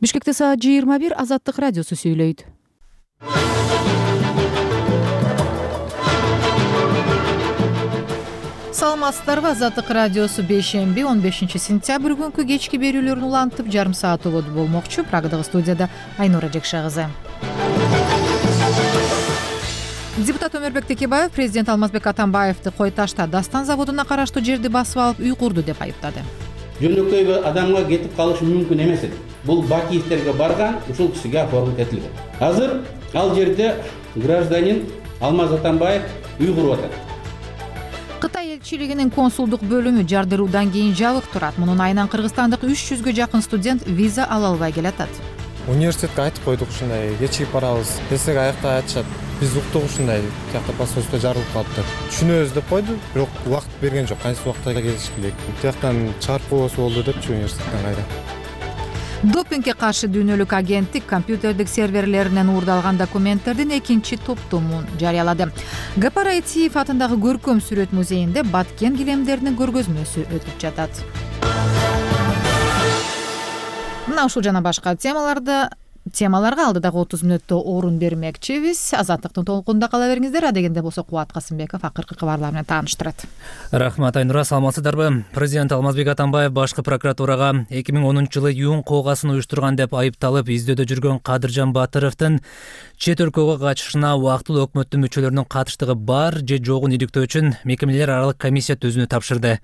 Бишкекте саат 21 Азаттык радиосу сүйлөйт. Саламатсыздарбы? Азаттык радиосу бейшемби 15-сентябрь күнкү кечки берүүлөрүн улантып жарым саат убуду болмокчу. Прагадагы студияда Айнура Жекша кызы. Депутат Өмүрбек Текебаев президент Алмазбек Атамбаевди Кой Ташта Дастан заводуна караштуу жерди басып алып үй курду деп айыптады. Жөнөкөй адамга кетип калышы мүмкүн эмес эди. Бул Бакиевтерге барган, ушул кишиге оформить этилген. Азыр ал жерде гражданин Алмаз Атамбаев үй куруп атат. Кытай элчилигинин консулдук бөлүмү жардыруудан кийин жабык турат. Мунун айынан кыргызстандык 300гө жакын студент виза ала албай келатат. Университетке айтып койдук ушундай, кечигип барабыз. Десек аякта айтышат. Биз уктук ушундай, тиякта посольство жарылып калыптыр. Түшүнөбүз деп койду, бирок убакыт берген жок. Кайсы убакта келиш керек. Тияктан чыгарып койбосо болду депчи университеттен кайда. Допингге каршы дүйнөлүк агенттик компьютердик серверлеринен уурдалган документтердин экинчи топтомун жарыялады. Гапар Айтиев атындагы көркөм сүрөт музейинде Баткен килемдеринин көргөзмөсү өтүп жатат. Мына ушул жана башка темаларга алдыдагы 30 мүнөттө орун бермекчибиз. Азаттыктын толкунунда кала бериңиздер. Адегенде болсо Кубат Касымбеков акыркы кабарлар менен тааныштырат. Рахмат Айнура, саламатсыздарбы? Президент Алмазбек Атамбаев башкы прокуратурага 2010-жылы юун коогасын уюштурган деп айыпталып издөөдө жүргөн Кадыржан Батыровдун чет өлкөгө качышына убактылуу өкмөттүн мүчөлөрүнүн катыштыгы бар же жогун иликтөө үчүн мекемелер аралык комиссия түзүүнү тапшырды.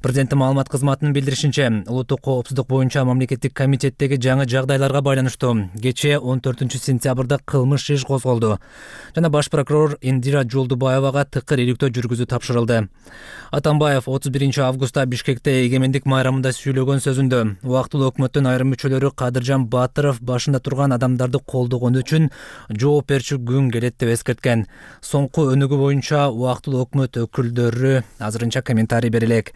Президенттин маалымат кызматынын билдиришинче, улуттук коопсуздук боюнча мамлекеттик комитеттеги жаңы жагдайларга байланыштуу кечээ 14-сентябрда кылмыш иш козголду жана баш прокурор Индира Жолдубаевага тыкыр иликтөө жүргүзүү тапшырылды. Атамбаев 31-августта Бишкекте эгемендик майрамында сүйлөгөн сөзүндө убактылуу өкмөттүн айрым мүчөлөрү Кадыржан Батыров башында турган адамдарды колдогону үчүн жооп берчү күн келет деп эскерткен. Соңку өнүгүү боюнча убактылуу өкмөт өкүлдөрү азырынча комментарий бере элек.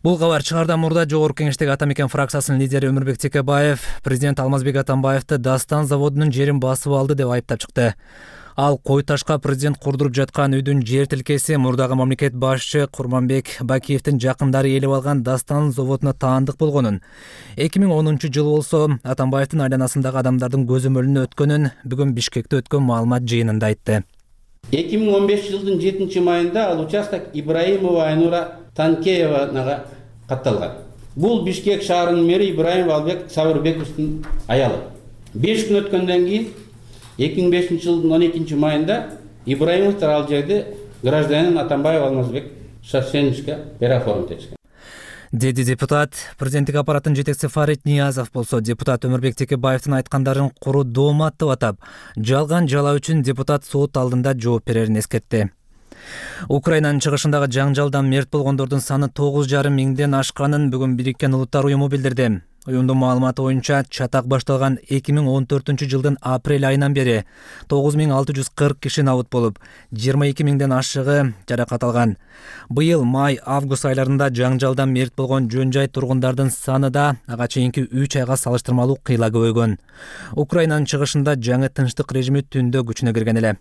Бул кабар чыгардан мурда Жогорку Кеңештеги Ата Мекен фракциясынын лидери Өмүрбек Текебаев президент Алмазбек Атамбаевди Дастан заводунун жерин басып алды деп айыптап чыкты. Ал Кой Ташка президент курдуруп жаткан үйдүн жер тилкеси мурдагы мамлекет башчы Курманбек Бакиевдин жакындары ээлеп алган Дастан заводуна таандык болгонун, 2010-жылы болсо Атамбаевдин айланасындагы адамдардын көзөмөлүнө өткөнүн бүгүн Бишкекте өткөн маалымат жыйынында айтты. 2015-жылдын 7-майында ал участок Ибраимова Айнура Танкеевага катталган. Бул Бишкек шаарынын мэри Ибраимов Албек Сабырбековдун аялы. 5 күн өткөндөн кийин 2005-жылдын 12-майында Ибраимовдор ал жерде гражданин Атамбаев Алмазбек Шашеничке переоформить этишкен. Деди депутат. Президенттик аппараттын жетекчиси Фарид Ниязов болсо депутат Өмүрбек Текебаевдин айткандарын куру доомат деп атап, жалган жалаа үчүн депутат сот алдында жооп берерин эскертти. Украинанын чыгышындагы жаңжалдан мерт болгондордун саны 9,5 миңден ашканын бүгүн Бириккен Улуттар уюму билдирди. Уюмдун маалыматы боюнча чатак башталган 2014-жылдын апрель айынан бери 9640 киши набыт болуп, 22 миңден ашыгы жаракат алган. Быйыл май-август айларында жаңжалдан мерт болгон жөн жай тургундардын саны да ага чейинки 3 айга салыштырмалуу кыйла көбөйгөн. Украинанын чыгышында жаңы тынчтык режими түндө күчүнө кирген эле.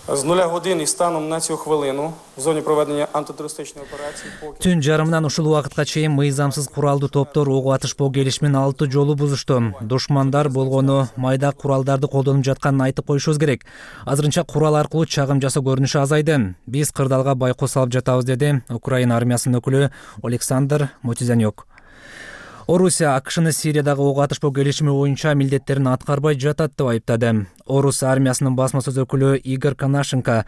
З 0 години станом на цю хвилину в зоні проведення антитерористичної операції Түн жарымынан ушул убакытка чейин мыйзамсыз куралдуу топтор ок атышпоо келишимин 6 жолу бузушту. Душмандар болгону майда куралдарды колдонуп жатканын айтып коюшубуз керек. Азырынча курал аркылуу чагым жасоо көрүнүшү азайды. Биз кырдаалга байкоо салып жатабыз, деди Украина армиясынын өкүлү Александр Мотизанюк. Орусия АКШны Сириядагы ок атышпоо келишими боюнча милдеттерин аткарбай жатат деп айыптады. Орус армиясынын басма сөз өкүлү Игорь Конашенко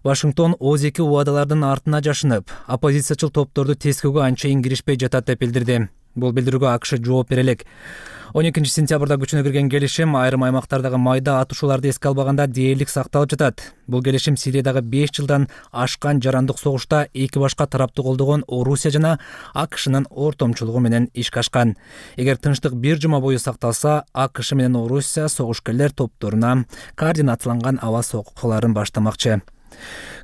Вашингтон ОЗ-2 убадалардын артына жашынып, оппозициячыл топторду тескөөгө анчейин киришпей жатат деп билдирди. Бул билдирүүгө АКШ жооп бере элек. 12-сентябрда күчүнө кирген келишим айрым аймактардагы майда атышууларды эске албаганда дээрлик сакталып жатат. Бул келишим Сириядагы 5 жылдан ашкан жарандык согушта эки башка тарапты колдогон Орусия жана АКШнын ортомчулугу менен ишке ашкан. Эгер тынчтык бир жума бою сакталса, АКШ менен Орусия согушкерлер топторуна координацияланган аба сокуларын баштамакчы.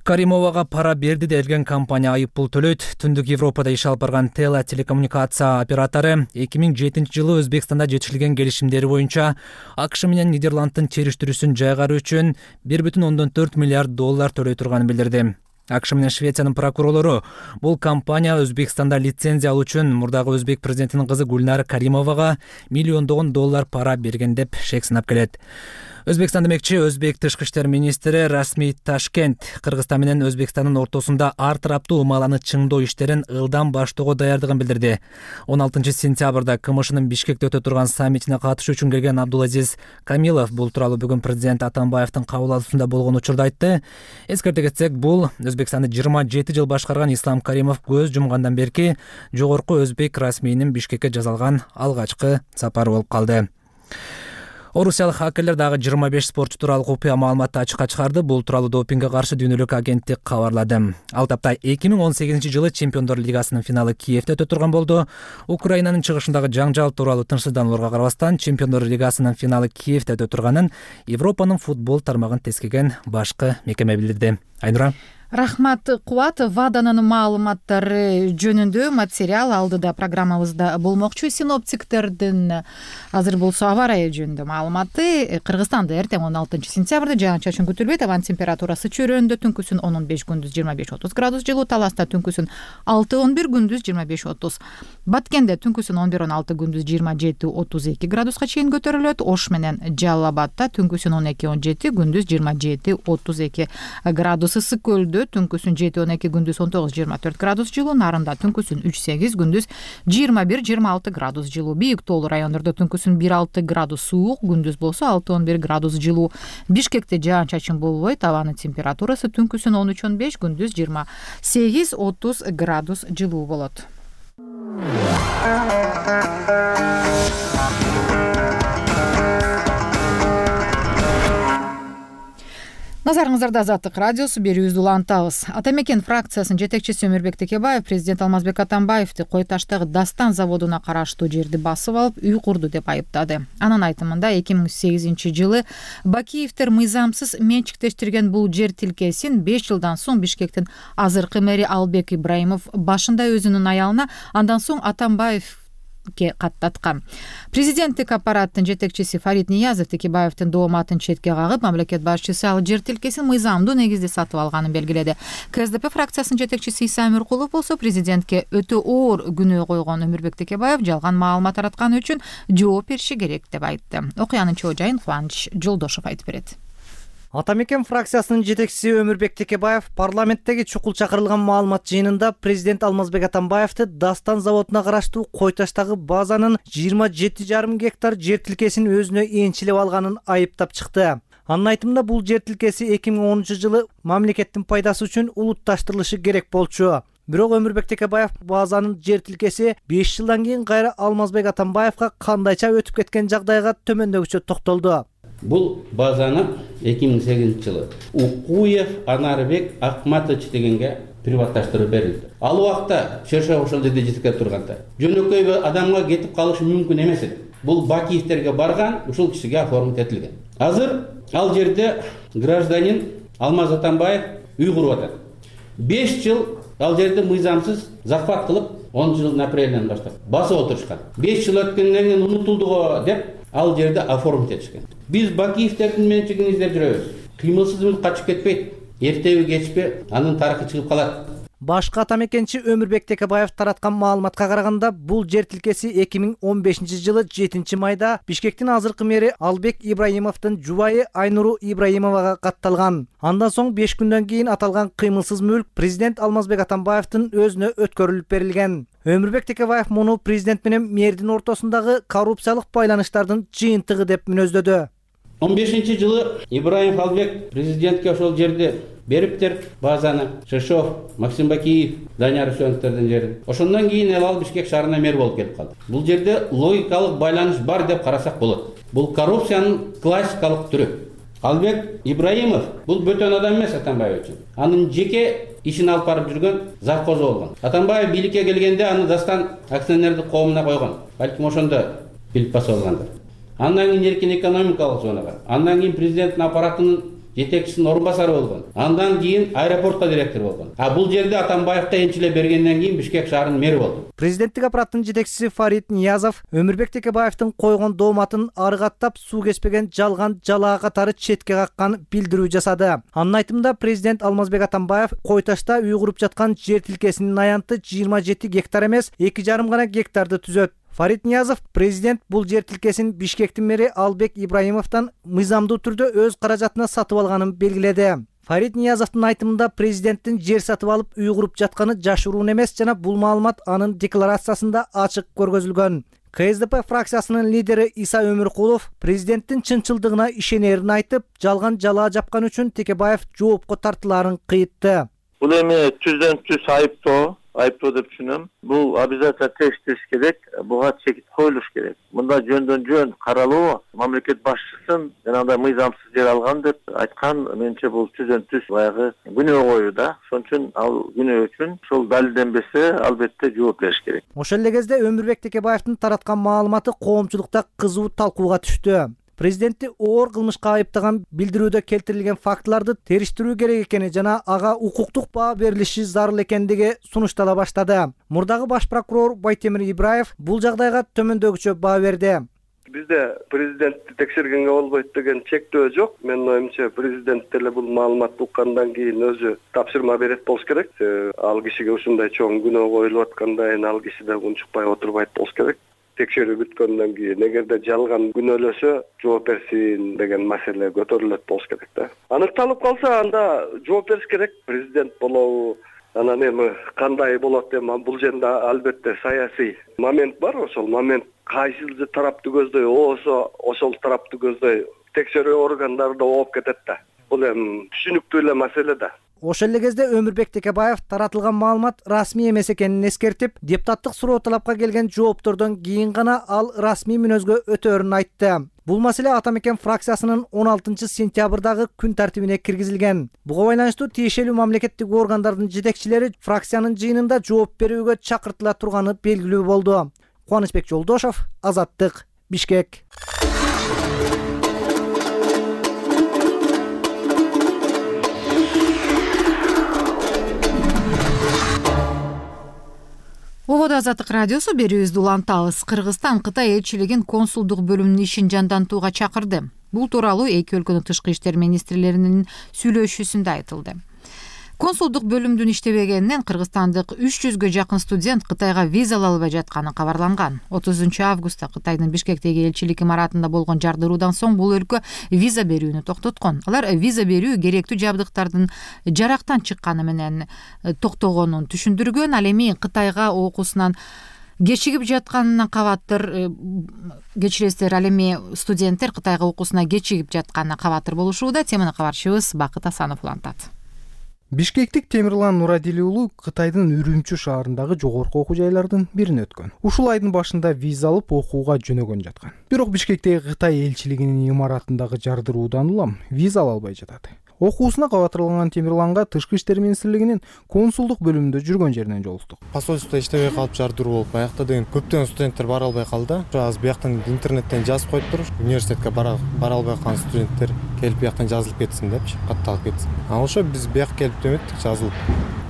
Каримовага пара берди делген компания айыппул төлөйт. Түндүк Европада иш алып барган Тела телекоммуникация оператору 2007-жылы Өзбекстанда жетишилген келишимдери боюнча АКШ менен Нидерланддын териштирүүсүн жайгаруу үчүн $1,4 миллиард төлөй турганын билдирди. АКШ менен Швециянын прокурорлору бул компания Өзбекстанда лицензия алуу үчүн мурдагы өзбек президентинин кызы Гульнара Каримовага миллиондогон доллар пара берген деп шек сынап келет. Өзбекстан демекчи, өзбек тышкы иштер министри Расмий Ташкент Кыргызстан менен Өзбекстандын ортосунда ар тараптуу умаланы чыңдоо иштерин ылдам баштоого даярдыгын билдирди. 16 сентябрда КМШнын Бишкекте өтө турган саммитине катышуу үчүн келген Абдулазиз Камилов бул тууралуу бүгүн президент Атамбаевдин кабыл алуусунда болгон учурда айтты. Эскерте кетсек, бул Өзбекстанды 27 жыл башкарган Ислам Каримов көз жумгандан берки жогорку өзбек расмийнин Бишкекке жасалган алгачкы сапары болуп калды. Орусиялык хакерлер дагы 25 спортчу тууралуу купуя маалыматты ачыкка чыгарды. Бул тууралуу допингге каршы дүйнөлүк агенттик кабарлады. Ал тапта 2018 жылы Чемпиондор лигасынын финалы Киевде өтө турган болду. Украинанын чыгышындагы жаңжал тууралуу тынчсызданууларга карабастан Чемпиондор лигасынын финалы Киевде өтө турганын Европанын футбол тармагын тескеген башкы мекеме билдирди. Айнура. Рахмат Кубат. ВАДАнын маалыматтары жөнүндө материал алдыда программабызда болмокчу. Синоптиктердин азыр болсо аба ырайы жөнүндө маалыматы. Кыргызстанда эртең 16 сентябрда жаан-чачын күтүлбөйт. Абанын температурасы чөйрөндө түнкүсүн 10-15, күндүз 25-30 градус жылуу. Таласта түнкүсүн 6-11, күндүз 25-30. Баткенде түнкүсүн 11-16, күндүз 27-32 градуска чейин көтөрүлөт. Ош менен Жалал Абадта түнкүсүн 12-17, күндүз 27-32 градус. Ысык көлдө түнкүсүн 7-12, күндүз 19-24 градус жылуу. Нарында түнкүсүн 3-8, күндүз 21-26 градус жылуу. Бийик тоолуу райондордо түнкүсүн 1-6 градус суук, күндүз болсо 6-11 градус жылуу. Бишкекте жаан-чачын болбойт. Абанын температурасы түнкүсүн 13-15, күндүз 28-30 градус жылуу болот. Назарыңыздарда Азаттык радиосу, берүүбүздү улантабыз. Ата мекен фракциясынын жетекчиси Өмүрбек Текебаев президент Алмазбек Атамбаевди Кой Таштагы Дастан заводуна караштуу жерди басып алып, үй курду деп айыптады. Анын айтымында 2008 жылы Бакиевдер мыйзамсыз менчиктештирген бул жер тилкесин 5 жылдан соң Бишкектин азыркы мэри Албек Ибраимов башында өзүнүн аялына, андан соң Атамбаев каттаткан. Президенттик аппараттын жетекчиси Фарид Ниязов Текебаевдин дооматын четке кагып, мамлекет башчысы ал жер тилкесин мыйзамдуу негизде сатып алганын белгиледи. КСДП фракциясынын жетекчиси Иса Өмүркулов болсо президентке өтө оор күнөө койгон Өмүрбек Текебаев жалган маалымат таратканы үчүн жооп бериши керек деп айтты. Окуянын чоо жайын Кубаныч Жолдошов айтып берет. Ата мекен фракциясынын жетекчиси Өмүрбек Текебаев парламенттеги чукул чакырылган маалымат жыйынында президент Алмазбек Атамбаевди Дастан заводуна караштуу Кой Таштагы базанын 27,5 гектар жер тилкесин өзүнө энчилеп алганын айыптап чыкты. Анын айтымында бул жер тилкеси 2010 жылы мамлекеттин пайдасы үчүн улутташтырылышы керек болчу. Бирок Өмүрбек Текебаев базанын жер тилкеси 5 жылдан кийин кайра Алмазбек Атамбаевга кандайча өтүп кеткен жагдайга төмөндөгүчө токтолду. Бул базаны 2008 жылы Укуев Анарбек Акматович дегенге приватташтырып берилди. Ал убакта Шершов ошол жерде жетектеп турганда жөнөкөй адамга кетип калышы мүмкүн эмес эди. Бул Бакиевтерге барган, ушул кишиге оформить этилген. Азыр ал жерде гражданин Алмаз Атамбаев үй куруп атат. 5 жыл ал жерде мыйзамсыз захват кылып, 10 жылдын апрелинен баштап басып отурушкан. 5 жыл өткөндөн кийин унутулду го деп ал жерде оформить этишкен. Биз Бакиевтердин менчигин издеп жүрөбүз. Кыймылсыз качып кетпейт. Эртеби кечпи анын тарыхы чыгып калат. Башкы ата мекенчи Өмүрбек Текебаев тараткан маалыматка караганда, бул жер тилкеси 2015 жылы 7 майда Бишкектин азыркы мэри Албек Ибраимовдун жубайы Айнуру Ибраимовага катталган. Андан соң 5 күндөн кийин аталган кыймылсыз мүлк президент Алмазбек Атамбаевдин өзүнө өткөрүлүп берилген. Өмүрбек Текебаев муну президент менен мэрдин ортосундагы коррупциялык байланыштардын жыйынтыгы деп мүнөздөдү. 15 жылы Ибраимов Албек президентке ошол жерди бериптир, базаны Шершов, Максим Бакиев, Данияр Үсөновдөрдүн жерин. Ошондон кийин ал Бишкек шаарына мэр болуп келип калды. Бул жерде логикалык байланыш бар деп карасак болот. Бул коррупциянын классикалык түрү. Албек Ибраимов бул бөтөн адам эмес Атамбаев үчүн. Анын жеке ишин алып барып жүргөн завхозу болгон. Атамбаев бийликке келгенде аны Дастан акционердик коомуна койгон. Балким ошондо билип басып алгандыр. Андан кийин эркин экономикалык зонага, андан кийин президенттин аппаратынын жетекчисинин орун басары болгон. Андан кийин аэропортко директор болгон. Бул жерде Атамбаевка энчиле бергенден кийин Бишкек шаарынын мэри болду. Президенттик аппараттын жетекчиси Фарид Ниязов Өмүрбек Текебаевдин койгон дооматын арыгаттап суу кечпеген жалган жалаа катары четке каккан билдирүү жасады. Анын айтымында президент Алмазбек Атамбаев Кой Ташта үй куруп жаткан жер тилкесинин аянты 27 гектар эмес 2,5 гана гектарды түзөт. Фарид Ниязов президент бул жер тилкесин Бишкектин мэри Албек Ибраимовдон мыйзамдуу түрдө өз каражатына сатып алганын белгиледи. Фарид Ниязовдун айтымында президенттин жер сатып алып үй куруп жатканы жашыруун эмес жана бул маалымат анын декларациясында ачык көргөзүлгөн. КСДП фракциясынын лидери Иса Өмүркулов президенттин чынчылдыгына ишенерин айтып, жалган жалаа жапкан үчүн Текебаев жоопко тартылаарын кыйтты. Бул эми түздөн түз айыптоо деп түшүнөм. Бул обязательно текштеш керек, буга чек коюлуш керек. Мында жөндөн жөн каралуу, мамлекет башчысын жанагындай мыйзамсыз жер алган деп айткан, менимче бул түздөн түз баягы күнөө коюу да. Ошон үчүн ал күнөө үчүн ушул далилденбесе, албетте жооп бериш керек. Ошол эле кезде Өмүрбек Текебаевдин тараткан маалыматы коомчулукта кызуу талкууга түштү. Президентти оор кылмышка айыптаган билдирүүдө келтирилген фактыларды териштирүү керек экени жана ага укуктук баа берилиши зарыл экендиги сунуштала баштады. Мурдагы баш прокурор Байтемир Ибраев бул жагдайга төмөндөгүчө баа берди. Бизде президентти текшергенге болбойт деген чектөө жок. Менин оюмча президент деле бул маалыматты уккандан кийин өзү тапшырма берет болуш керек. Ал кишиге ушундай чоң күнөө коюлуп атканда ал киши да унчукпай отурбайт болуш керек. Текшерүү бүткөндөн кийин эгерде жалган күнөөлөсө жооп берсин деген маселе көтөрүлөт болуш керек да. Аныкталып калса анда жооп бериш керек. Президент болобу, анан эми кандай болот эми бул жерде албетте саясий момент бар. Ошол момент кайсыл тарапты көздөй болсо ошол тарапты көздөй текшерүү органдары да ооп кетет да. Бул эми түшүнүктүү эле маселе да. Ошол эле кезде Өмүрбек Текебаев таратылган маалымат расмий эмес экенин эскертип, депутаттык суроо талапка келген жооптордон кийин гана ал расмий мүнөзгө өтөөрүн айтты. Бул маселе Ата Мекен фракциясынын 16 сентябрдагы күн тартибине киргизилген. Буга байланыштуу тиешелүү мамлекеттик органдардын жетекчилери фракциянын жыйынында жооп берүүгө чакыртыла турганы белгилүү болду. Кубанычбек Жолдошов, Азаттык, Бишкек. Ободо Азаттык радиосу берүүбүздү улантабыз. Кыргызстан Кытай элчилигин консулдук бөлүмүнүн ишин жандантууга чакырды. Бул тууралуу эки өлкөнүн тышкы иштер министрлеринин сүйлөшүүсүндө айтылды. Консулдук бөлүмдүн иштебегенинен кыргызстандык 300гө жакын студент Кытайга виза ала албай жатканы кабарланган. 30 августта Кытайдын Бишкектеги элчилик имаратында болгон жардыруудан соң бул өлкө виза берүүнү токтоткон. Алар виза берүү керектүү жабдыктардын жарактан чыкканы менен токтогонун түшүндүргөн. Ал эми Кытайга окуусунан кечигип жатканына кабатыр, кечиресиздер, ал эми студенттер Кытайга окуусуна кечигип жатканына кабатыр болушууда. Теманы кабарчыбыз Бакыт Асанов улантат. Бишкектик Темирлан Нурадили уулу Кытайдын Үрүмчү шаарындагы жогорку окуу жайлардын бирине өткөн. Ушул айдын башында виза алып окууга жөнөгөн жаткан. Бирок Бишкектеги Кытай элчилигинин имаратындагы жардыруудан улам виза ала албай жатат. Окуусуна кабатырланган Темирланга Тышкы иштер министрлигинин консулдук бөлүмүндө жүргөн жеринен жолуктук. Посольстводо иштебей калып жардыруу болуп аякта деген көптөгөн студенттер бара албай калды. Азыр бияктан интернеттен жазып коюптур. Университетке бара албай калган студенттер келип бияктан жазылып кетсин депчи, катталып кетсин. Ошо биз бияка келип деметтик, жазылып.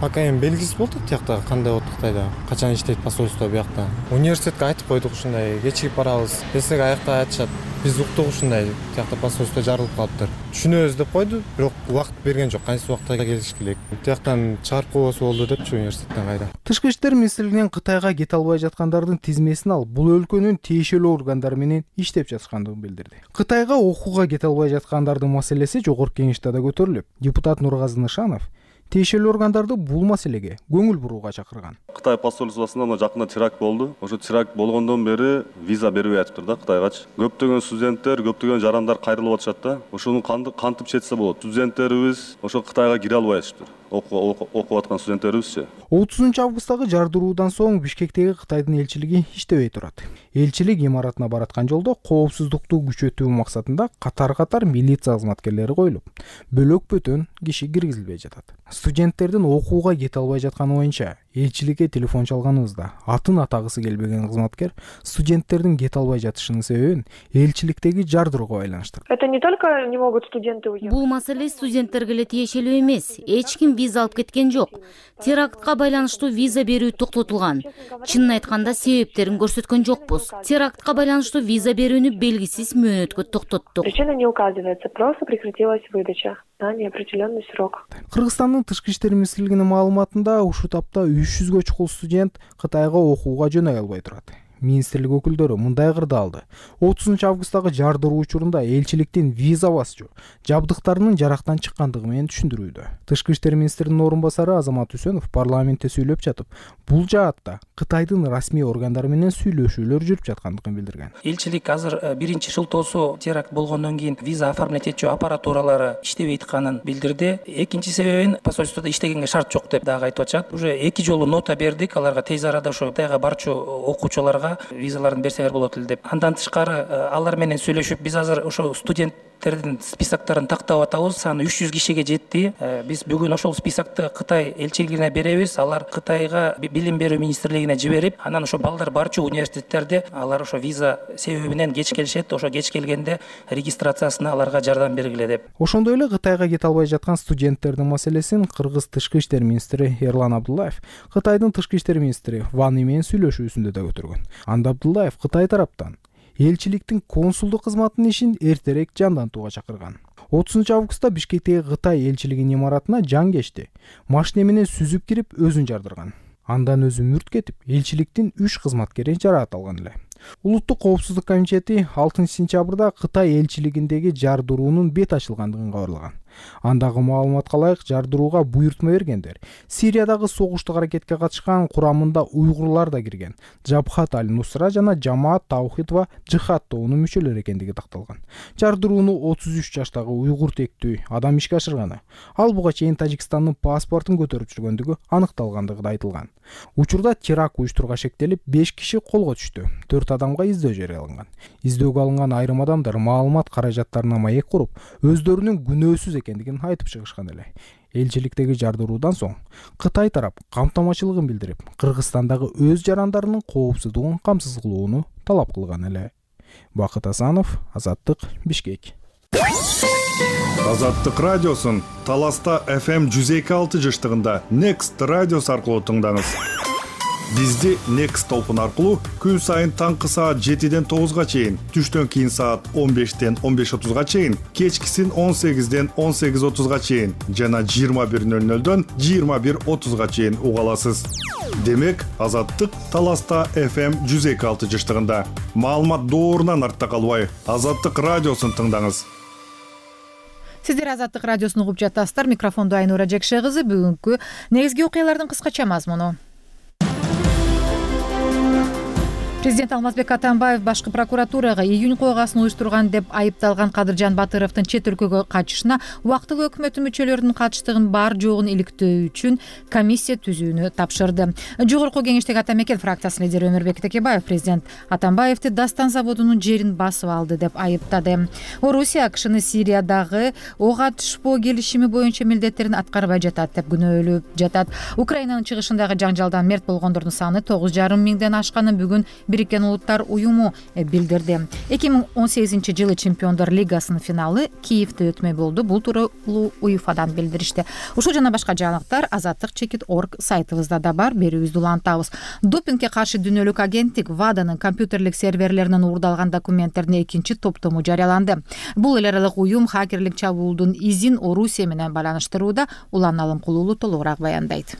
Пока эми белгисиз болду тиякта кандай болот Кытайда, качан иштейт посольство биякта. Университетке айтып койдук ушундай, кечигип барабыз. Десек аякта айтышат, биз уктук ушундай, тиякта посольство жарылып калыптыр. Түшүнөбүз деп койду, бирок убакыт берген жок, кайсы убакта келиш керек. Тияктан чыгарып койбосо болду депчи университеттен кайда. Тышкы иштер министрлигинен Кытайга кете албай жаткандардын тизмесин алып, бул өлкөнүн тиешелүү органдары менен иштеп жатышкандыгын билдирди. Кытайга окууга кете албай жаткандардын маселеси жогорку кеңеште да көтөрүлүп, депутат Нургазы Нышанов тиешелүү органдарды бул маселеге көңүл бурууга чакырган. Кытай посольствосунда жакында теракт болду. Ошо теракт болгондон бери виза бербей атыптыр да Кытайгачы. Көптөгөн студенттер, көптөгөн жарандар кайрылып атышат да. Ошону кантип четсе болот? Студенттерибиз ошо Кытайга кире албай атыптыр. Окуп аткан студенттерибизчи. 30 августтагы жардыруудан соң Бишкектеги Кытайдын элчилиги иштебей турат. Элчилик имаратына бараткан жолдо коопсуздукту күчөтүү максатында катар милиция кызматкерлери коюлуп, бөлөк бөтөн киши киргизилбей жатат. Студенттердин окууга кете албай жатканы боюнча элчиликке телефон чалганыбызда атын атагысы келбеген кызматкер студенттердин кете албай жатышынын себебин элчиликтеги жардырууга байланыштырды. Это не только не могут студенты уехать. Бул маселе студенттерге эле тиешелүү эмес. Эч ким виза алып кеткен жок. Терактка байланыштуу виза берүү токтотулган. Чынын айтканда себептерин көрсөткөн жокпуз. Терактка байланыштуу виза берүүнү белгисиз мөөнөткө токтоттук. Причина не указывается, просто прекратилась выдача на неопределенный срок. Кыргызстандын тышкы иштер министрлигинин маалыматында ушул тапта 300гө чукул студент Кытайга окууга жөнөй албай турат. Министрлик өкүлдөрү мындай кырды алды. 30 августтагы жардыруу учурунда элчиликтин виза басчу жабдыктарынын жарактан чыккандыгы менен түшүндүрүүдө. Тышкы иштер министринин орун басары Азамат Үсөнов парламентте сүйлөп жатып, бул жаатта Кытайдын расмий органдары менен сүйлөшүүлөр жүрүп жаткандыгын билдирген. Элчилик азыр биринчи шылтоосу теракт болгондон кийин виза оформлять этчү аппаратуралары иштебей атканын билдирди. Экинчи себебин посольстводо иштегенге шарт жок деп дагы айтып атышат. Уже 2 жолу нота бердик, аларга тез арада ошо Кытайга барчу окуучуларга визаларын берсеңер болот эле деп. Андан тышкары алар менен сүйлөшүп, биз азыр ошо студенттердин списоктарын тактап атабыз. Саны 300 кишиге жетти. Биз бүгүн ошол списокты Кытай элчилигине беребиз. Алар Кытайга билим берүү министрлигине жиберип, анан ошо балдар барчу университеттерде алар ошо виза себебинен кеч келишет. Ошо кеч келгенде регистрациясына аларга жардам бергиле деп. Ошондой эле Кытайга кете албай жаткан студенттердин маселесин Кыргыз тышкы иштер министри Эрлан Абдуллаев Кытайдын тышкы иштер министри Ван И менен сүйлөшүүсүндө да көтөргөн. Анда Абдуллаев Кытай тараптан элчиликтин консулдук кызматынын ишин эртерээк жандантууга чакырган. 30 августта Бишкектеги Кытай элчилигинин имаратына жан кечти. Машина менен сүзүп кирип өзүн жардырган. Андан өзү мүрт кетип, элчиликтин 3 кызматкери жараат алган эле. Улуттук коопсуздук комитети 6 сентябрда Кытай элчилигиндеги жардыруунун бет ачылгандыгын кабарлаган. Андагы маалыматка ылайык жардырууга буйртма бергендер Сириядагы согуштук аракетке катышкан курамында уйгурлар да кирген Жабхат аль-Нусра жана Жамаат Таухид ва Жихад тобунун мүчөлөрү экендиги такталган. Жардырууну 33 жаштагы уйгур тектүү адам ишке ашырганы. Ал буга чейин Тажикстандын паспортун көтөрүп жүргөндүгү аныкталгандыгы да айтылган. Учурда теракт уюштурууга шектелип 5 киши колго түштү. 4 адамга издөө жарыяланган. Издөөгө алынган айрым адамдар маалымат каражаттарына маек куруп, өздөрүнүн күнөөсүз экендигин айтып чыгышкан эле. Элчиликтеги жардыруудан соң Кытай тарап камтамачылыгын билдирип, Кыргызстандагы өз жарандарынын коопсуздугун камсыз кылууну талап кылган эле. Бакыт Асанов, Азаттык, Бишкек. Азаттык радиосун Таласта FM 102.6 жыштыгында Next радиос аркылуу тыңдаңыз. Бизди Next толкун аркылуу күн сайын таңкы саат 7ден 9га чейин, түштөн кийин саат 15ден 15:30га чейин, кечкисин 18ден 18:30га чейин жана 21:00дөн 21:30га чейин уга аласыз. Демек, Азаттык Таласта FM 102.6 жыштыгында. Маалымат доорунан артта калбай, Азаттык радиосун тыңдаңыз. Сиздер Азаттык радиосун угуп жатасыздар. Микрофондо Айнура Жекше кызы. Бүгүнкү негизги окуялардын кыскача мазмуну. Президент Алмазбек Атамбаев башкы прокуратурага июнь койгасын уюштурган деп айыпталган Кадыржан Батыровдун чет өлкөгө качышына убактылуу өкмөт мүчөлөрүнүн катыштыгын бар жогун иликтөө үчүн комиссия түзүүнү тапшырды. Жогорку кеңештеги Ата Мекен фракциясынын лидери Өмүрбек Текебаев президент Атамбаевди Дастан заводунун жерин басып алды деп айыптады. Орусия АКШны Сириядагы ок атышпоо келишими боюнча милдеттерин аткарбай жатат деп күнөөлөп жатат. Украинанын чыгышындагы жаңжалдан мерт болгондордун саны 9,5 миңден ашканын бүгүн Бириккен Улуттар уюму билдирди. 2018 жылы Чемпиондор лигасынын финалы Киевде өтмөй болду. Бул тууралуу УЕФАдан билдиришти. Ушул жана башка жаңылыктар Азаттык.org сайтыбызда да бар. Берүүбүздү улантабыз. Допингге каршы дүйнөлүк агенттик ВАДАнын компьютерлик серверлеринен уурдалган документтердин экинчи топтому жарыяланды. Бул эл аралык уюм хакерлик чабуулдун изин Орусия менен байланыштырууда. Улан Алымкулуулу толугураак баяндайт.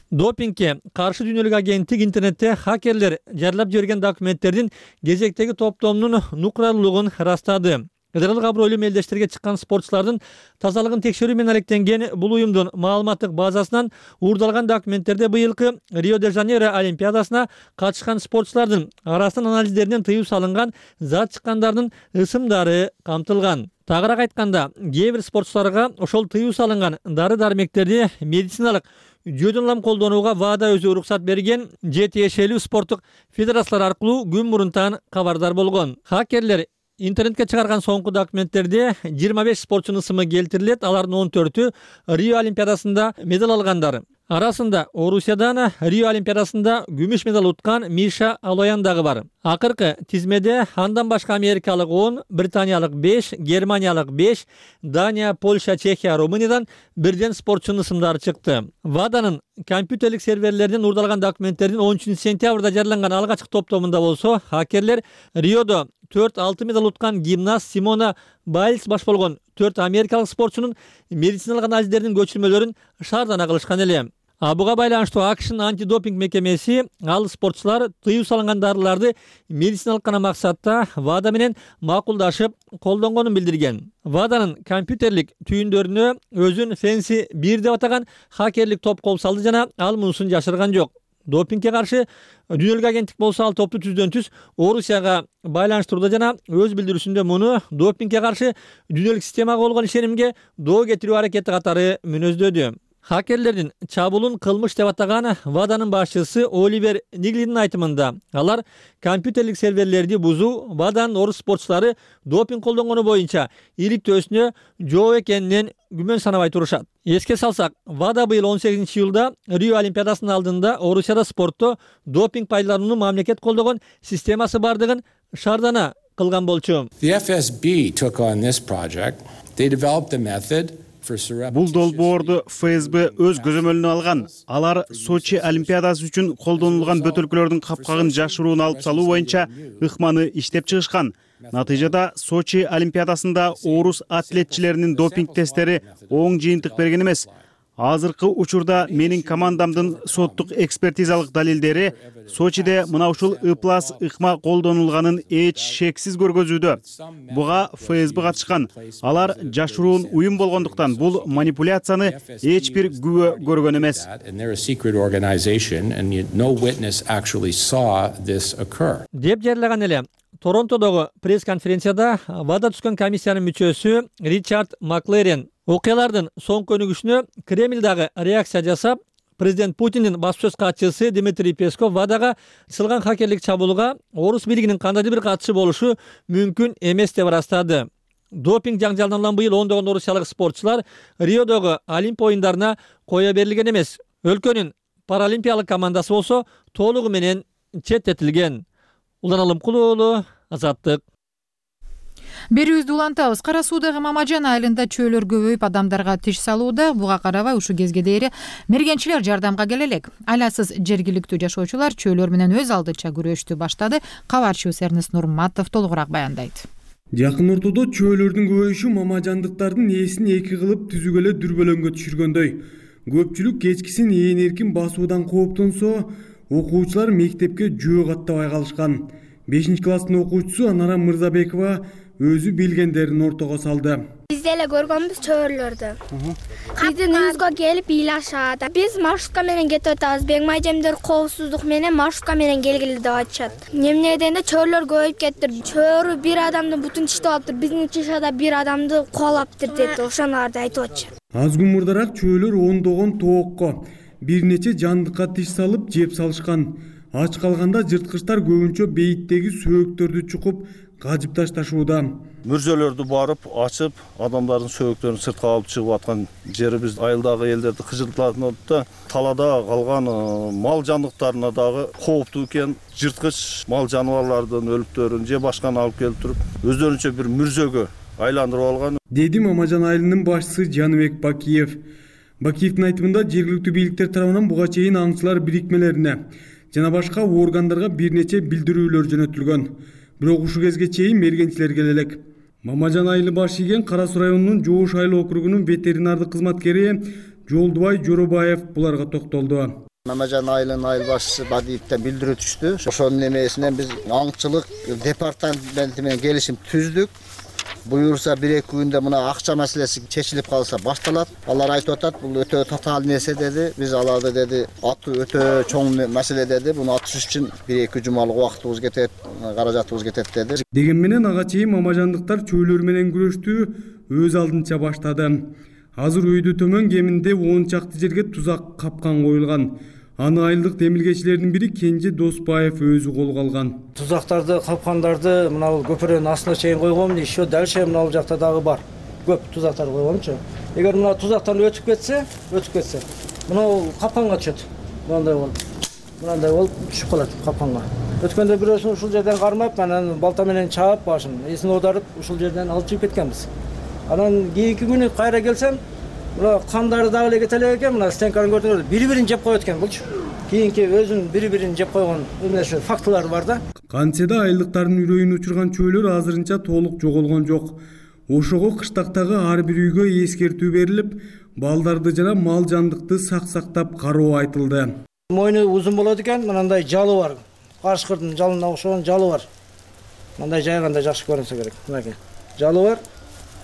Допингге каршы дүйнөлүк агенттик интернетте хакерлер жарыялап жиберген документтердин кезектеги топтомунун нукралуулугун ырастады. Федералдык абройлуу мелдештерге чыккан спортчулардын тазалыгын текшерүү менен алектенген бул уюмдун маалыматтык базасынан уурдалган документтерде быйылкы Рио-де-Жанейро олимпиадасына катышкан спортчулардын арасынан анализдеринен тыюу салынган зат чыккандардын ысымдары камтылган. Тагыраак айтканда, кээ бир спортчуларга ошол тыюу салынган дары-дармектерди медициналык жөдөн улам колдонууга ВАДА өзү уруксат берген же тиешелүү спорттук федерациялар аркылуу күн мурунтан кабардар болгон. Хакерлер интернетке чыгарган соңку документтерде 25 спортчунун ысымы келтирилет. Алардын 14-ү Рио олимпиадасында медаль алгандар. Арасында Орусиядан Рио Олимпиадасында күмүш медаль уткан Миша Алоян дагы бар. Акыркы тизмеде андан башка америкалык 10, британиялык 5, германиялык 5, Дания, Польша, Чехия, Румыниядан бирден спортчунун ысымдары чыкты. ВАДАнын компьютерлик серверлеринен уурдалган документтердин 13 сентябрда жарыяланган алгачкы топтомунда болсо, хакерлер Риодо 4 медаль уткан гимнаст Симона Байльс баш болгон 4 америкалык спортчунун медициналык анализдеринин көчүрмөлөрүн шаардана кылышкан эле. Буга байланыштуу АКШнын антидопинг мекемеси ал спортчулар тыюу салынган дарыларды медициналык гана максатта ВАДА менен макулдашып колдонгонун билдирген. ВАДАнын компьютерлик түйүндөрүнө өзүн Fancy 1 деп атаган хакерлик топ кол салды жана ал мунусун жашырган жок. Допингге каршы дүйнөлүк агенттик болсо ал топту түздөн түз Орусияга байланыштырууда жана өз билдирүүсүндө муну допингге каршы дүйнөлүк системага болгон ишенимге доо кетирүү аракети катары мүнөздөдү. Хакерлердин чабуулун кылмыш деп атаган ВАДАнын башчысы Оливер Ниглинин айтымында, алар компьютерлик серверлерди бузуу ВАДАнын орус спортчулары допинг колдонгону боюнча иликтөөсүнө жооп экенинен күмөн санабай турушат. Эске салсак, ВАДА быйыл 18-июлда Рио Олимпиадасынын алдында Орусияда спортто допинг пайдалануунун мамлекет колдогон системасы бардыгын шаардана кылган болчу. The FSB took on this project. They developed a method. Бул долбоорду ФСБ өз көзөмөлүнө алган. Алар Сочи Олимпиадасы үчүн колдонулган бөтөлкөлөрдүн капкагын жашыруун алып салуу боюнча ыкманы иштеп чыгышкан. Натыйжада Сочи Олимпиадасында орус атлетчилеринин допинг тесттери оң жыйынтык берген эмес. Азыркы учурда менин командамдын соттук экспертизалык далилдери Сочиде мына ушул ыплас ыкма колдонулганын эч шексиз көргөзүүдө. Буга ФСБ катышкан. Алар жашыруун уюм болгондуктан бул манипуляцияны эч бир күбө көргөн эмес. Деп жарыяган эле. Торонтодогу пресс-конференцияда ВАДА түзгөн комиссиянын мүчөсү Ричард Маклерен окуялардын соңку өнүгүшүнө Кремлдагы реакция жасап, президент Путиндин баспасөз катчысы Дмитрий Песков ВАДАга ачылган хакерлик чабуулга орус бийлигинин кандайдыр бир катышы болушу мүмкүн эмес деп ырастады. Допинг жаңжалынан быйыл ондогон орусиялык спортчулар Риодогу Олимп оюндарына кое берилген эмес. Өлкөнүн паралимпиялык командасы болсо толугу менен четтетилген. Улан Алымкулуу уулу, Азаттык. Берүүбүздү улантабыз. Кара Суудагы Мамажан айылында чөөлөр көбөйүп, адамдарга тиш салууда. Буга карабай ушу кезге дейри мергенчилер жардамга келе элек. Айласыз жергиликтүү жашоочулар чөөлөр менен өз алдынча күрөштү баштады. Кабарчыбыз Эрнест Нурматов толугураак баяндайт. Жакын ортодо чөөлөрдүн көбөйүшү мамажандыктардын ээсин эки кылып түзүгө эле дүрбөлөңгө түшүргөндөй. Көпчүлүк кечкисин ээн эркин басуудан кооптонсо, окуучулар мектепке жөө каттабай калышкан. 5-класстын окуучусу Анара Мырзабекова өзү билгендерин ортого салды. Биз деле көргөнбүз чөөлөрдү. Биздин үйүбүзгө келип ыйлашат. Биз маршрутка менен кетип атабыз. Беңмай жемдер коопсуздук менен маршрутка менен келгиле деп айтышат. Эмне дегенде чөөлөр көбөйүп кетти. Чөөрү бир адамдын бутун тиштеп алыптыр. Биздин чишада бир адамды кубалаптыр деп ошоналарды айтып атышат. Аз күн мурдараак чөөлөр ондогон тоокко бир нече жандыкка тиш салып жеп салышкан. Ач калганда жырткычтар көбүнчө бейиттеги сөөктөрдү чукуп кажып ташташууда. Мүрзөлөрдү барып ачып, адамдардын сөөктөрүн сыртка алып чыгып аткан жерибиз айылдагы элдерди кыжыртылат да, талада калган мал жандыктарына дагы кооптуу экен. Жырткыч мал жаныбарлардын өлүктөрүн же башканы алып келип туруп, өздөрүнчө бир мүрзөгө айландырып алган. Деди Мамажан айылынын башчысы Жаныбек Бакиев. Бакиевдин айтымында жергиликтүү бийликтер тарабынан буга чейин аңчылар бирикмелерине жана башка органдарга бир нече билдирүүлөр жөнөтүлгөн. Бирок ушул кезге чейин мергенчилер келе элек. Мамажан айылы баш ийген Кара Суу районунун Жоош айыл округунун ветеринардык кызматкери Жолдубай Жоробаев буларга токтолду. Мамажан айылынын айыл башчысы Бадиевден билдирүү түштү. Ошонун эмесинен биз аңчылык департаменти менен келишим түздүк. Буюрса 1-2 күндө мына акча маселеси чечилип калса башталат. Алар айтып атат, бул өтө татаал нерсе деди. Биз аларды деди, аты өтө чоң маселе деди. Буну атыш үчүн 1-2 жумалык убактыбыз кетет, каражатыбыз кетет деди. Деген менен ага чейин мамажандыктар чөөлөр менен күрөштү өз алдынча баштады. Азыр үйдү төмөн кеминде 10 чакты жерге тузак капкан коюлган. Аны айылдык демилгечилердин бири Кенже Доспаев өзү колго алган. Тузактарды, капкандарды мына бул көпүрөнүн астына чейин койгом, еще дальше мына бул жакта дагы бар. Көп тузактар койгомчу. Эгер мына тузактан өтүп кетсе, мынау капканга түшөт. Мынандай болуп түшүп калат капканга. Өткөндө бирөөсүн ушул жерден кармап, анан балта менен чаап, башын эсин оодарып, ушул жерден алып чыгып кеткенбиз. Анан кийинки күнү кайра келсем, мына кандары дагы эле кете элек экен, мына стенканы көрдүңөр, бири-бирин жеп коет экен булчу. Кийинки өзүн бири-бирин жеп койгон эмнеси фактылар бар да. Кантсе да айылдыктардын үрөйүн учурган чөөлөр азырынча толук жоголгон жок. Ошого кыштактагы ар бир үйгө эскертүү берилип, балдарды жана мал жандыкты сактап кароо айтылды. Мойну узун болот экен, мындай жалы бар. Карышкырдын жалына окшогон жалы бар. Мындай жайганда жакшы көрүнсө керек. Мынакей. Жалы бар.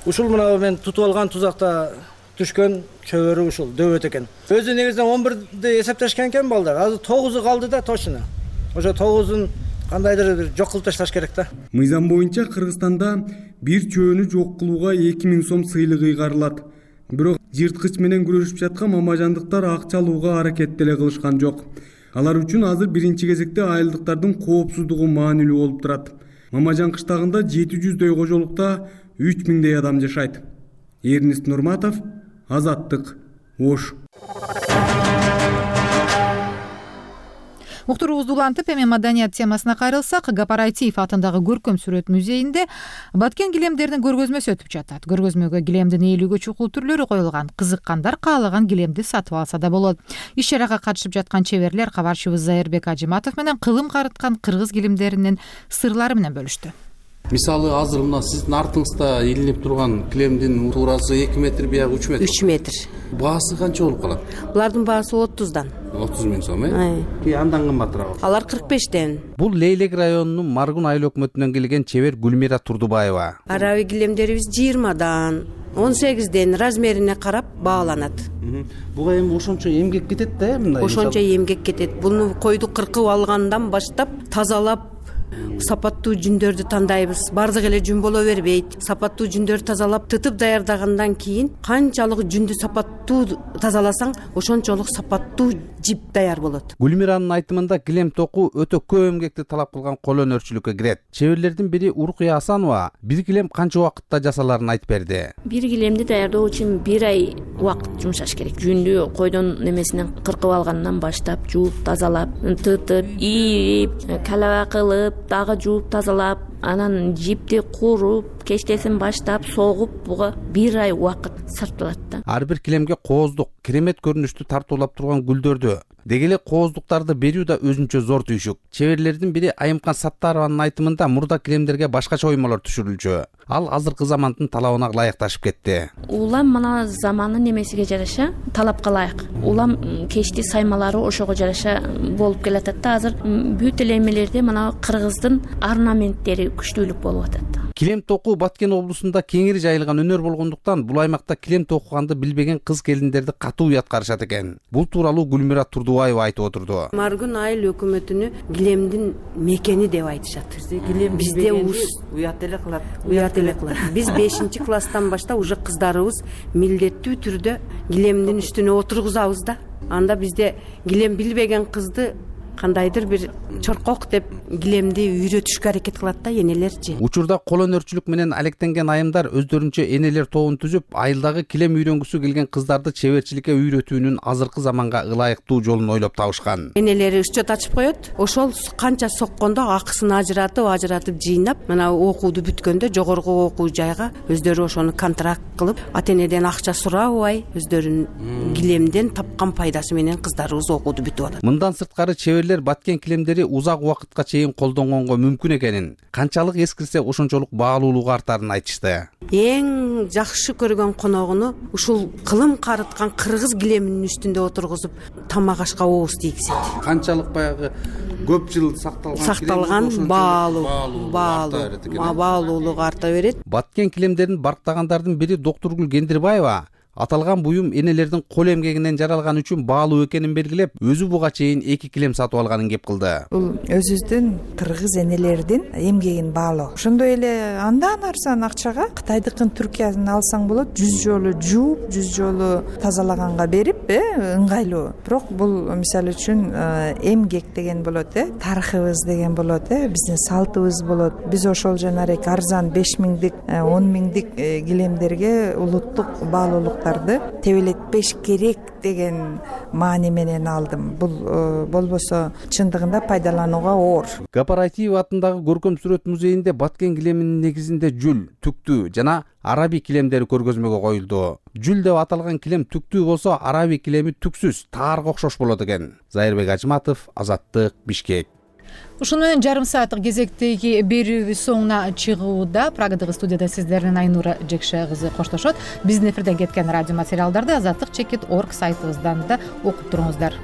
Ушул мына мен тутуп алган тузакта түшкөн чөбөрү ушул дөбөт экен. Өзү негизинен 11-ди эсептешкен экен балдар. Азыр 9-у калды да точно. Ошо 9-ун кандайдыр бир жок кылып ташташ керек да. Мыйзам боюнча Кыргызстанда бир чөөнү жок кылууга 2000 сом сыйлык ыйгарылат. Бирок жырткыч менен күрөшүп жаткан мамажандыктар акча алууга аракет деле кылышкан жок. Алар үчүн азыр биринчи кезекте айылдыктардын коопсуздугу маанилүү болуп турат. Мамажан кыштагында 700дөй кожолукта 3000дей адам жашайт. Эрнест Нурматов, Азаттык, Ош. Уктуруубузду улантып, эми маданият темасына кайрылсак, Гапар Айтиев атындагы көркөм сүрөт музейинде баткен килемдеринин көргөзмөсү өтүп жатат. Көргөзмөгө килемдин 50гө чукул түрлөрү коюлган. Кызыккандар каалаган килемди сатып алса да болот. Иш-чарага катышып жаткан чеберлер кабарчыбыз Зайырбек Ажиматов менен кылым карыткан кыргыз килемдеринин сырлары менен бөлүштү. Мисалы азыр мына сиздин артыңызда илинип турган килемдин туурасы 2 метр, биягы 3 метр. 3 метр. Баасы канча болуп калат? Булардын баасы 30дан. 30 миң сом, Андан кымбатыраак. Алар 45тен. Бул Лейлек районунун Маргун айыл өкмөтүнөн келген чебер Гүлмира Турдубаева. Араби килемдерибиз 20дан, 18ден размерине карап бааланат. Буга эми ошончо эмгек кетет да, мындай. Ошончо эмгек кетет. Буну койду кыркып алгандан баштап тазалап сапаттуу жүндөрдү тандайбыз. Бардык эле жүн боло бербейт. Сапаттуу жүндөрдү тазалап тытып даярдагандан кийин канчалык жүндү сапаттуу тазаласаң, ошончолук сапаттуу жип даяр болот. Гүлмиранын айтымында килем токуу өтө көп эмгекти талап кылган кол өнөрчүлүккө кирет. Чеберлердин бири Уркуя Асанова бир килем канча убакытта жасаларын айтып берди. Бир килемди даярдоо үчүн 1 ай убакыт жумшаш керек. Жүндү койдон немесинен кыркып алгандан баштап жууп, тазалап, тытып, ийип, калаба кылып, дагы жууп, тазалап, анан жипти куруп, кечтесин баштап, согуп, буга 1 ай убакыт сарпталат да. Ар бир килемге кооздук, керемет көрүнүштү тартуулап турган гүлдөрдү, деги эле кооздуктарды берүү да өзүнчө зор түйшүк. Чеберлердин бири Айымкан Саттарованын айтымында мурда килемдерге башкача оймолор түшүрүлчү. Ал азыркы замандын талабына ылайыкташып кетти. Улам мына замандын немесиге жараша талапка ылайык. Улам кечти саймалары ошого жараша болуп келатат да. Азыр бүт эле эмелерде мына кыргыздын орнаменттери күчтүүлүк болуп атат. Килем токуу Баткен облусунда кеңири жайылган өнөр болгондуктан бул аймакта килем токуганды билбеген кыз келиндерди катуу уят карашат экен. Бул тууралуу Гүлмира Турдубаева айтып отурду. Маргун айыл өкмөтүнү килемдин мекени деп айтышат. Бизде уят эле кылат. Уят эле кылат. Биз 5-класстан баштап уже кыздарыбыз милдеттүү түрдө килемдин үстүнө отургузабыз да. Анда бизде килем билбеген кызды кандайдыр бир чоркок деп килемди үйрөтүшкө аракет кылат да энелерчи. Учурда кол өнөрчүлүк менен алектенген айымдар өздөрүнчө энелер тобун түзүп, айылдагы килем үйрөнгүсү келген кыздарды чеберчиликке үйрөтүүнүн азыркы заманга ылайыктуу жолун ойлоп табышкан. Энелери счет ачып коет. Ошол канча соккондо акысын ажыратып жыйнап, мына окууду бүткөндө жогорку окуу жайга өздөрү ошону контракт кылып, ата-энеден акча сурабай, өздөрүнүн килемден тапкан пайдасы менен кыздарыбыз окууду бүтүп атат. Мындан сырткары чеберлер баткен килемдери узак убакытка чейин колдонгонго мүмкүн экенин, канчалык эскирсе ошончолук баалуулугу артарын айтышты. Эң жакшы көргөн коногуну ушул кылым карыткан кыргыз килеминин үстүндө отургузуп тамак ашка ооз тийгизет. Канчалык баягы көп жыл сакталган баалуулугу арта берет. Баткен килемдерин барктагандардын бири Доктургүл Кендирбаева аталган буюм энелердин кол эмгегинен жаралган үчүн баалуу экенин белгилеп, өзү буга чейин 2 килем сатып алганын кеп кылды. Бул өзүбүздүн кыргыз энелердин эмгегин баалоо. Ошондой эле андан арзан акчага Кытайдыкын Түркиясын алсаң болот, 100 жолу жууп, 100 жолу тазалаганга берип, ыңгайлуу. Бирок бул мисалы үчүн эмгек деген болот, тарыхыбыз деген болот, биздин салтыбыз болот. Биз ошол жанагы арзан 5 миңдик, 10 миңдик килемдерге улуттук баалуулук заттарды тебелетпеш керек деген маани менен алдым. Бул болбосо чындыгында пайдаланууга оор. Гапарайтиев атындагы көркөм сүрөт музейинде баткен килеминин негизинде жүл, түктүү жана араби килемдери көргөзмөгө коюлду. Жүл деп аталган килем түктүү болсо, араби килеми түксүз, таарга окшош болот экен. Зайырбек Ажыматов, Азаттык, Бишкек. Ушуну менен жарым сааттык кезектеги берүүбүз соңуна чыгууда. Прагадагы студияда сиздерден Айнура Жекше кызы коштошот. Биздин эфирден кеткен радио материалдарды Азаттык.org сайтыбыздан да окуп туруңуздар.